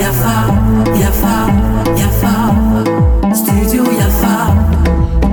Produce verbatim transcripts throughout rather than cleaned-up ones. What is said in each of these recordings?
Yafa, yafa, yafa, studio Yafa.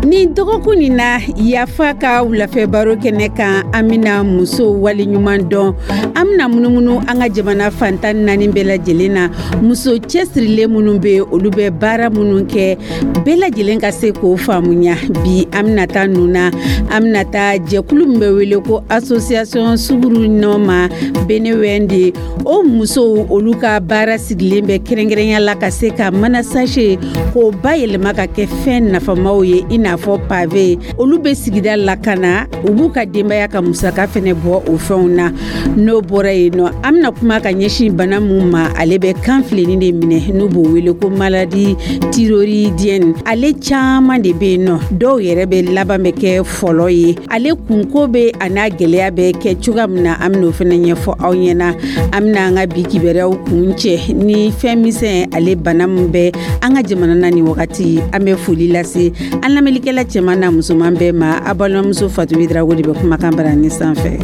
Nin dɔgɔkun nin na, Yafa ka wulafɛ baro kɛnɛ kan, an bɛna muso waleɲuman dɔn. An bɛna munumunu an ka jamana fan tan naani bɛɛ lajɛlen na, muso cɛsirilen minnu bɛ, olu bɛ baara minnu kɛ, bɛɛ lajɛlen ka se k'o faamuya. Bi, an bɛna taa nun na, an bɛna taa jɛkulu min bɛ wele ko Association Suguru Nɔma Benewende. O musow, olu ka baara sigilen bɛ kɛrɛnkɛrɛnya la ka se ka mana sachet k'o bayɛlɛma ka kɛ fɛn nafamaw ye, i n'a fɔ pavé. Olu bɛ sigida lakana, u b'u ka denbaya ka musaka fɛnɛ bɔ o fɛnw na. N'o bɔra yen nɔ, an bɛna kuma ka ɲɛsin bana mun ma, ale bɛ kan filenni de minɛ, n'u b'o wele ko maladie thyroïdienne. Ale caman de bɛ yen nɔ, dɔw yɛrɛ bɛ laban bɛ kɛ fɔlɔ ye. Ale kunko bɛ a n'a gɛlɛya bɛ kɛ cogoya min na, an bɛn'o fɛnɛ ɲɛfɔ aw ɲɛna. An bɛna an ka bi kibaruyaw kun cɛ ni fɛn misɛn, ale bana min bɛ an ka jamana na nin wagati. An bɛ foli lase an lamɛnnikɛla cɛman n'a musoman bɛɛ ma. A balimamuso Fatu Drago de bɛ kumakan barani sanfɛ.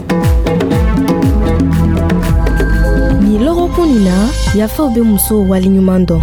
Nin lɔgɔkun nin na, Yafaw bɛ musow waleɲuman dɔn.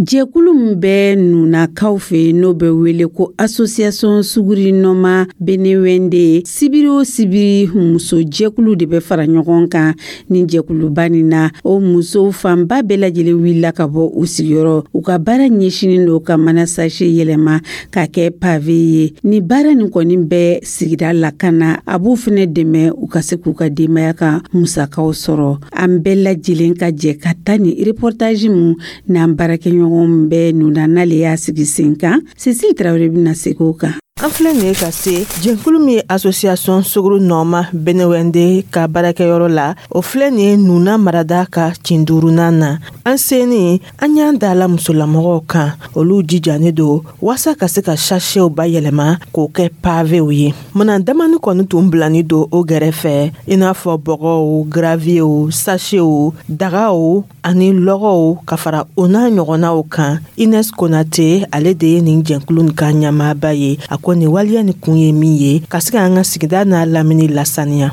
Jɛkulu min bɛ Nunakaw fɛ, n'o bɛ wele ko Association Suguri Nɔma Benewende, sibiri o sibiri, muso jɛkulu de bɛ fara ɲɔgɔn kan ni jɛkuluba nin na. O musow fanba bɛɛ lajɛlen wulila ka bɔ u sigiyɔrɔ. U ka baara ɲɛsinin don ka mana sachet yɛlɛma ka kɛ pavé ye. Ni baara nin kɔni bɛ sigida lakana, a b'u fɛnɛ dɛmɛ u ka se k'u ka denbaya ka musakaw sɔrɔ. An bɛɛ lajɛlen ka jɛ ka taa ni reportage mun n'an baarakɛɲɔgɔn bɛ Nuna, n'ale y'a sigi sen kan, Cécile Tarawele bɛna segin o kan. An filɛ nin ye ka se jɛnkulu min ye Association Sogoro Nɔma Benewende ka baarakɛyɔrɔ la. O filɛ nin ye Nuna marada ka cin duurunan na. An seeni, an y'an da la musolamɔgɔw kan, olu jijanen don waasa ka se ka sachetw bayɛlɛma k'o kɛ pavéw ye. Minan damani kɔni tun bilani don o gɛrɛfɛ, i n'a fɔ bɔgɔw, gravierw, sachetw, dagaw ani lɔgɔw, ka fara o n'a ɲɔgɔnnaw kan. Ines Konate, ale de ye nin jɛnkulu nin ka ɲɛmaaba ye. A ko nin waleya nin kun ye min ye, ka se k'an ka sigida n'a lamini lasaniya.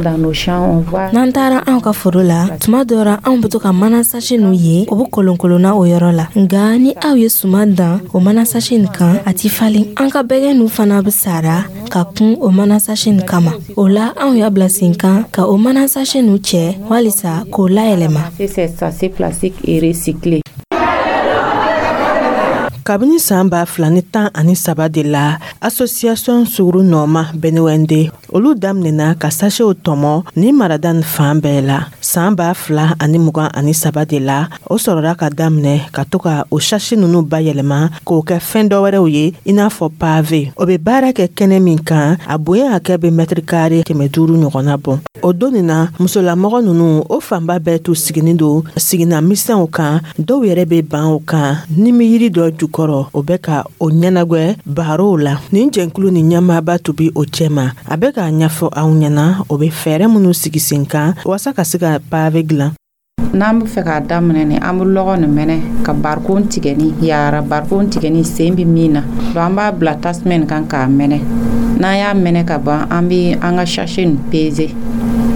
N'an taara anw ka foro la, tuma dɔ ra, anw be to ka mana sachet nu ye, o be kolonkolonna o yɔrɔ la. Nga ni aw ye suman dan o mana sachet nin kan, a ti falen. An ka bɛgɛ nu fana be sara ka kun o mana sachet nin kama. O la, anw y'a bila sen kan ka o mana sachet nu cɛ walisa k'o layɛlɛma. Kabini saan ba fila ni tan ani saba de la, Association Suguru Nɔma Benewende, olu daminɛna ka sachetw tɔmɔ ni marada ni fan bɛɛ la. Saan ba fila ani mugan ani saba de la, o sɔrɔla ka daminɛ ka to ka o sachet nunu bayɛlɛma k'o kɛ fɛn dɔ wɛrɛw ye, i n'a fɔ pavé. O be baara kɛ kɛnɛ min kan, a bonya hakɛ be mètre carré kɛmɛ duuru ɲɔgɔnna bɔ. O don nin na, musolamɔgɔ nunu, o fanba bɛɛ tun siginin don sigina misɛnw kan, dɔw yɛrɛ be ban o kan ni mi yiri dɔ jukɔrɔ, o bɛ ka o ɲɛnagwɛ barow la. Nin jɛnkulu ni ɲɛmaaba tun bi o cɛma, a bɛ k'a ɲɛfɔ aw ɲɛna o be fɛɛrɛ minnu sigi sen kan waasa ka se ka pavé dilan. N'an bɛ fɛ k'a daminɛ ni, an bɛ lɔgɔ nin mɛnɛ ka barikon tigɛ ni yara barikon tigɛ ni sen bɛ min na. Donc an b'a bila tasuma nin kan k'a mɛnɛ. N'an y'a mɛnɛ ka ban, an bɛ an ka sachet nin peser.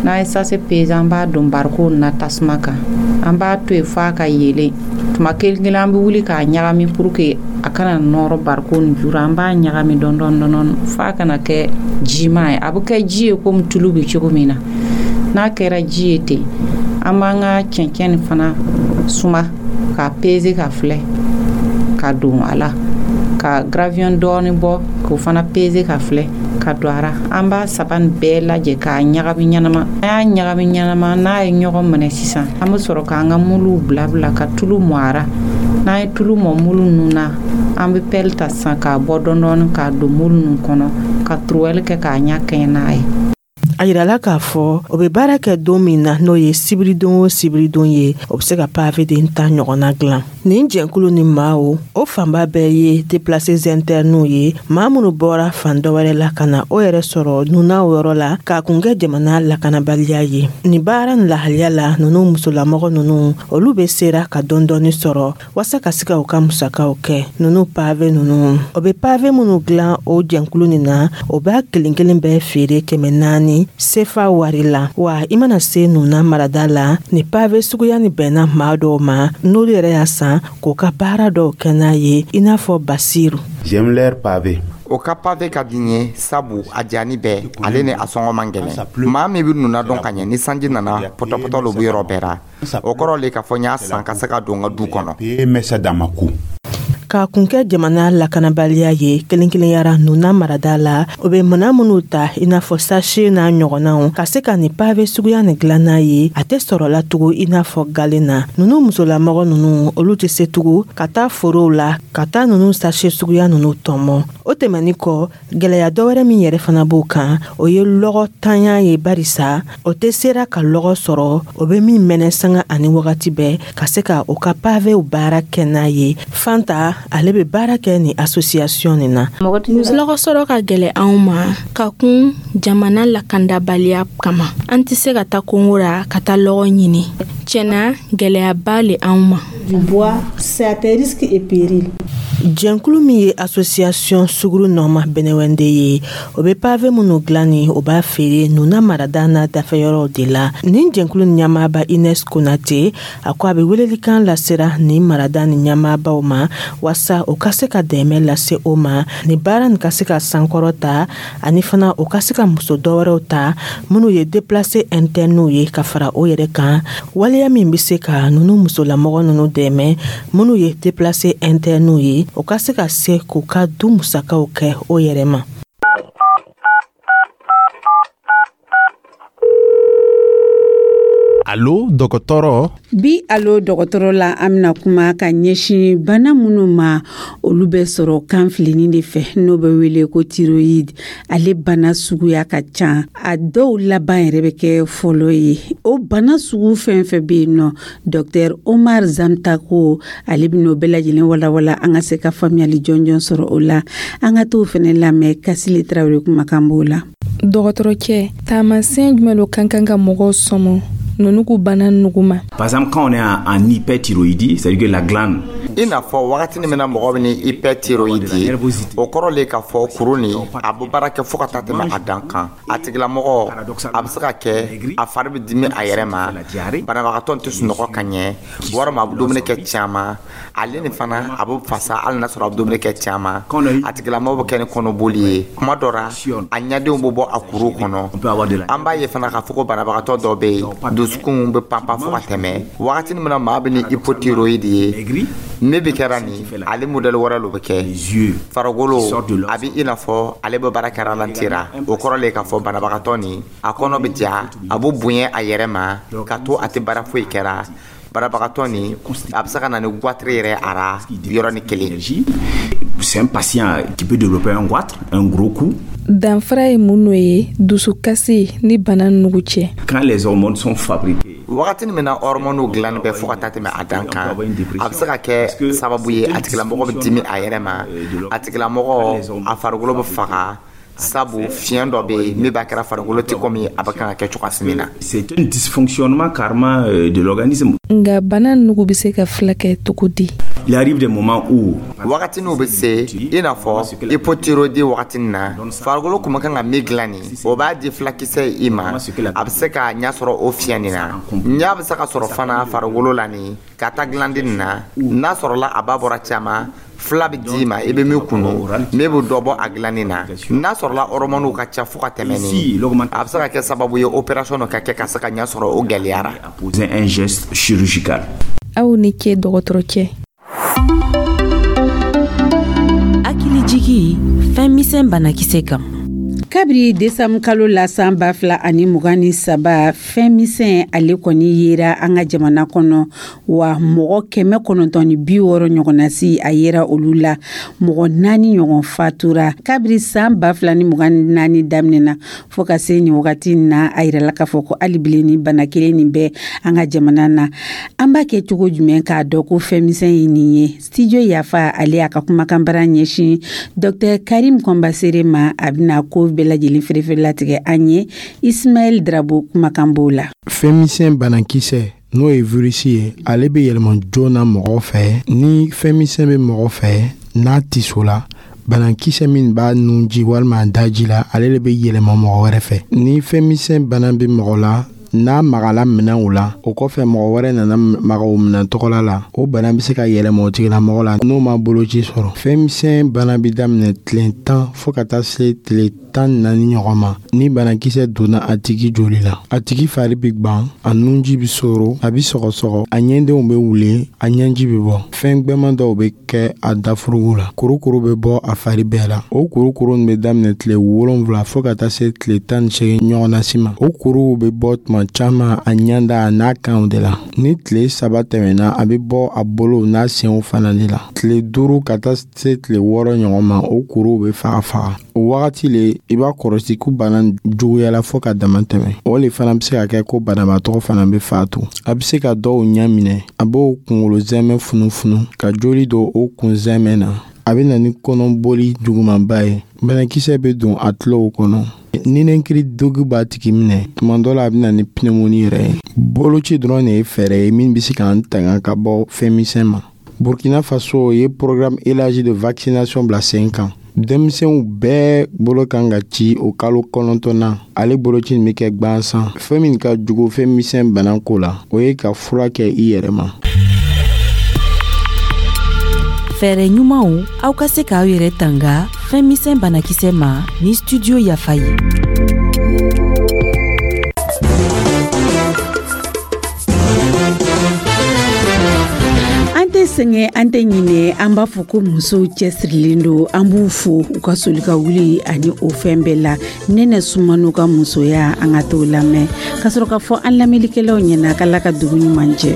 N'an ye sachet peser, an b'a don barikon na tasuma kan. An b'a to yen f'a ka yeelen. Tuma kelen kelen, an bɛ wuli k'a ɲagami pour que a kana nɔrɔ barikon nin juru. An b'a ɲagami dɔɔni dɔɔni dɔɔni f'a kana kɛ jima ye. A bɛ kɛ ji ye komi tulu bɛ cogo min na. N'a kɛra ji ye ten, an b'an ka cɛncɛn nin fana suma k'a peser ka filɛ ka don a la, ka gravier dɔɔni bɔ k'o fana peser ka filɛ ka don a ra. An b'a saba nin bɛɛ lajɛ k'a ɲagami ɲɛnama. An y'a ɲagami ɲɛnama, n'a ye ɲɔgɔn minɛ sisan, an bɛ sɔrɔ k'an ka muluw bila bila ka tulu mɔ a ra. N'an ye tulu mɔ mulu ninnu na, an bɛ pelle ta sisan k'a bɔ dɔɔni dɔɔni k'a don mulu ninnu kɔnɔ, ka truelle kɛ k'a ɲɛ kɛɲɛ n'a ye. A yirala k'a fɔ o bɛ baara kɛ don min na, n'o ye sibiridon o sibiridon ye, o bɛ se ka pavé den tan ɲɔgɔnna dilan. Nin jɛnkulu ni maaw, o fanba bɛɛ ye déplacés internes ye, maa minnu bɔra fan dɔ wɛrɛ la ka na o yɛrɛ sɔrɔ Nuna o yɔrɔ la k'a kun kɛ jamana lakanabaliya ye. Nin baara nin lahaliya la, ninnu musolamɔgɔ ninnu, olu bɛ sera ka dɔɔni sɔrɔ waasa ka se ka u ka musakaw kɛ. Ninnu pavé ninnu, o bɛ pavé minnu dilan o jɛnkulu nin na, o b'a kelen kelen bɛɛ feere kɛmɛ naani. naani sefa wari la. Wa i mana se Nuna marada la, ni pavé suguya ni bɛnna maa dɔw ma, n'olu yɛrɛ y'a san k'o ka baara dɔw kɛ n'a ye, i n'a fɔ Basiru. J'aime leur pavé. O ka pavé ka di n ye, sabu a jani bɛɛ, ale ni a sɔngɔ man gɛlɛn. Maa min bɛ Nuna dɔn ka ɲɛ, ni sanji nana, pɔtɔpɔtɔ lo bɛ yɔrɔ bɛɛ ra. O kɔrɔ le k'a fɔ n y'a san ka se ka don n ka du kɔnɔ. K'a kun kɛ jamana lakanabaliya ye kelen kelenyara Nuna marada la, o bɛ mana minnu ta, i n'a fɔ sachet n'a ɲɔgɔnnaw, ka se ka nin pavé suguya nin dilan n'a ye, a tɛ sɔrɔla tugun i n'a fɔ galen na. Ninnu musolamɔgɔ ninnu, olu tɛ se tugun ka taa forow la ka taa ninnu sachet suguya ninnu tɔmɔ. O tɛmɛnin kɔ, gɛlɛya dɔwɛrɛ min yɛrɛ fana b'o kan, o ye lɔgɔ tanya ye, barisa o tɛ sera ka lɔgɔ sɔrɔ o bɛ min mɛnɛ sanga ani wagati bɛɛ ka se ka o ka pavéw baara kɛ n'a ye. Fanta, ale bɛ baara kɛ ni association nin na. Lɔgɔ sɔrɔ ka gɛlɛ anw ma ka kun jamana lakandabaliya kama. An tɛ se ka taa kongo ra ka taa lɔgɔ ɲini. Tiɲɛna, gɛlɛyaba le anw ma. Du bois, c'est à tes risques et périls. Jɛnkulu min ye association Suguru Nɔma Bɛnɛwɛnde ye, o bɛ pavé minnu dilan ni o b'a feere Nuna marada n'a dafɛyɔrɔw de la. Nin jɛnkulu ɲɛmaaba Ines Konate, a ko a bɛ welelikan lasera nin marada ni ɲɛmaabaw ma, waasa o ka se ka dɛmɛ lase o ma, ni baara nin ka se ka sankɔrɔ ta, ani fana o ka se ka muso dɔwɛrɛw ta minnu ye déplacé internew ye ka fara o yɛrɛ kan, waleya min bɛ se ka ninnu musolamɔgɔ ninnu dɛmɛ minnu ye déplacé internew ye, o ka se ka se k'u ka du musakaw kɛ o yɛrɛ ma. Alo dɔgɔtɔrɔ. Bi Alo dɔgɔtɔrɔ la, an bɛna kuma ka ɲɛsin bana minnu ma, olu bɛ sɔrɔ kan filinin de fɛ, n'o bɛ wele ko thyroïde. Ale bana suguya ka ca, a dɔw laban yɛrɛ bɛ kɛ fɔlɔ ye. O bana sugu fɛn fɛn bɛ yen nɔ, docteur Omar Zamtako, ale bɛ n'o bɛɛ lajɛlen walawala an ka se ka faamuyali jɔnjɔn sɔrɔ o la. An ka t'o fɛnɛ lamɛn, Kasile Tarawele kumakan b'o la. Dɔgɔtɔrɔcɛ, taamasiyɛn jumɛn lo kan kan ka mɔgɔw sɔmɔ nunu k'u bana nugu ma? Par exemple, quand on est en, en hyperthyroïdie, c'est-à-dire que la glande I n'a fɔ wagati min na mɔgɔ bɛ ni hyperthyroïdie ye, o kɔrɔ le k'a fɔ kuru nin a bɛ baara kɛ fo ka taa tɛmɛ a dan kan. A tigilamɔgɔ, a bɛ se ka kɛ a fari bɛ dimi a yɛrɛ ma, banabagatɔ tɛ sunɔgɔ ka ɲɛ, walima a bɛ dumuni kɛ caman. Ale nin fana, a bɛ fasa hali n'a sɔrɔ a bɛ dumuni kɛ caman. A tigilamɔgɔ bɛ kɛ ni kɔnɔboli ye, kuma dɔ la a ɲɛdenw bɛ bɔ a kuru kɔnɔ. An b'a ye fana k'a fɔ ko banabagatɔ dɔw bɛ yen, dusukun bɛ panpan fo ka tɛmɛ. Wagati min na maa bɛ ni hypothyroïde ye, min bɛ kɛra nin, ale modèle wɛrɛ lo bɛ kɛ. Farikolo a bɛ i n'a fɔ ale bɛ baara kɛ ralenti ra. O kɔrɔ le k'a fɔ banabagatɔ nin, a kɔnɔ bɛ ja, a bɛ bonya a yɛrɛ ma ka to a tɛ baara foyi kɛra. Banabagatɔ nin, a bɛ se ka na ni goitre yɛrɛ a ra yɔrɔnin kelen. C'est un patient qui peut développer un goitre, un gros coup. Danfara ye mun n'o ye dusukasi ni bana nugu cɛ? Quand les hormones sont fabriquées, Wagati min na hormones dilanni bɛ fo ka taa tɛmɛ a dan kan, a bɛ se ka kɛ sababu ye a tigilamɔgɔ bɛ dimi a yɛrɛ ma, a tigilamɔgɔ a farikolo bɛ faga, sabu fiɲɛ dɔ bɛ yen min b'a kɛra farikolo tɛ komi a bɛ kan ka kɛ cogoya min na. C'est un dysfonctionnement carrément de l'organisme. Nka bana nugu bɛ se ka filakɛ cogo di? Il arrive des moments où Wagati n'u bɛ se, i n'a fɔ hypothyroïdie wagati na, farikolo kun bɛ kan ka min dilan nin, o b'a di fulakisɛ i ma, a bɛ se ka ɲɛ sɔrɔ o fiɲɛ nin na. Ɲɛ bɛ se ka sɔrɔ fana farikolo la nin ka taa gilandi nin na. N'a sɔrɔla a ba bɔra caman, fila bɛ d'i ma, i bɛ min kunu, min bɛ dɔ bɔ a dilanni na. N'a sɔrɔla hormones ka ca fo ka tɛmɛ nin, a bɛ se ka kɛ sababu ye opération dɔ ka kɛ ka se ka ɲɛ sɔrɔ, o gɛlɛyara. Poser un geste chirurgical. Aw ni ce, dɔgɔtɔrɔcɛ. Hakilijigi fɛn misɛn banakisɛ kan. Kabiri desanburu kalo la san ba fila ani mugan ni saba, fɛn misɛn ale kɔni yera an ka jamana kɔnɔ wa, mɔgɔ kɛmɛ kɔnɔntɔn ni bi wɔɔrɔ ɲɔgɔnna si a yera olu la, mɔgɔ naani ɲɔgɔn fatura. Kabiri san ba fila ni mugan ni naani daminɛna fo ka se nin wagati na, a yirala k'a fɔ ko hali bilen ni bana kelen nin bɛ an ka jamana na. An b'a kɛ cogo jumɛn k'a dɔn ko fɛn misɛn ye nin ye? Studio Yafa, ale y'a ka kumakan bara ɲɛsin docteur Karim Kɔnbasere ma. A bɛna ko bɛɛ lajɛlen feerefeere latigɛ an ye. Ismaɛl Drabo kumakan b'o la. Fɛn misɛn banakisɛ, n'o ye virisi ye, ale bɛ yɛlɛma joona mɔgɔ fɛ. Ni fɛn misɛn bɛ mɔgɔ fɛ, n'a tiso la, Banakisɛ min b'a nunji walima a daji la, ale le bɛ yɛlɛma mɔgɔ wɛrɛ fɛ. Ni fɛn bana bɛ mɔgɔ la, n'a magala minɛnw la, o kɔfɛ mɔgɔ wɛrɛ nana maga o minɛn tɔgɔla la, o bana bɛ se ka yɛlɛma o tigilamɔgɔ la n'o ma boloci sɔrɔ. Fɛn bana bɛ daminɛ tile tan fo ka taa se tile tan ni naani ɲɔgɔn ma. Ni banakisɛ donna a tigi joli la, a tigi fari bɛ gwan, a nunji bɛ soro, a bɛ sɔgɔsɔgɔ, a ɲɛdenw bɛ wuli, a ɲɛji bɛ bɔ, fɛn gbɛman dɔw bɛ kɛ a dafurugu la, kurukuru bɛ bɔ a fari bɛɛ la. O kurukuru bɛ daminɛ tile wolonwula fo ka taa se tile tan ni seegin ɲɔgɔnna si ma. O kuruw bɛ bɔ tuma caman a ɲɛda a n'a kanw de la. Ni tile saba tɛmɛna, a bɛ bɔ a bolow n'a senw fana de la. Tile duuru ka taa se tile wɔɔrɔ ɲɔgɔn ma, o kuruw bɛ faga faga. O wagati le i b'a kɔlɔsi ko bana juguyala fo ka dama tɛmɛ. O le fana bɛ se ka kɛ ko banabaatɔ fana bɛ faatu. A bɛ se ka dɔw ɲɛ minɛ, a b'o kunkolo zɛmɛ funufunu ka joli don o kun zɛmɛ na. A bɛ na ni kɔnɔboli jugumanba ye. Banakisɛ bɛ don a tulow kɔnɔ, ninakili degun b'a tigi minɛ. Tuma dɔ la, a bɛ na ni pneumonie yɛrɛ ye. Boloci dɔrɔn de ye fɛɛrɛ ye min bɛ se k'an tanga ka bɔ fɛn misɛn ma. Burkina Faso ye programme élargi de vaccination bila sen kan. Denmisɛnw bɛɛ bolo kan ka ci o kalo kɔnɔntɔn na. Ale boloci nin bɛ kɛ gwansan. Fɛn min ka jugu fɛn misɛn bana ko la, o ye ka fura kɛ i yɛrɛ ma. Fɛɛrɛ ɲumanw aw ka se k'aw yɛrɛ tanga fɛn misɛn banakisɛ ma ni Studio Yafa ye. An tɛ sɛgɛn, an tɛ ɲinɛ. An b'a fɔ ko musow cɛsirilen don. An b'u fo u ka soli ka wuli ani o fɛn bɛɛ la. Nɛnɛ Sumano ka musoya, an ka t'o lamɛn ka sɔrɔ k'a fɔ an lamɛnlikɛlaw ɲɛna k'Ala ka dugu ɲuman jɛ.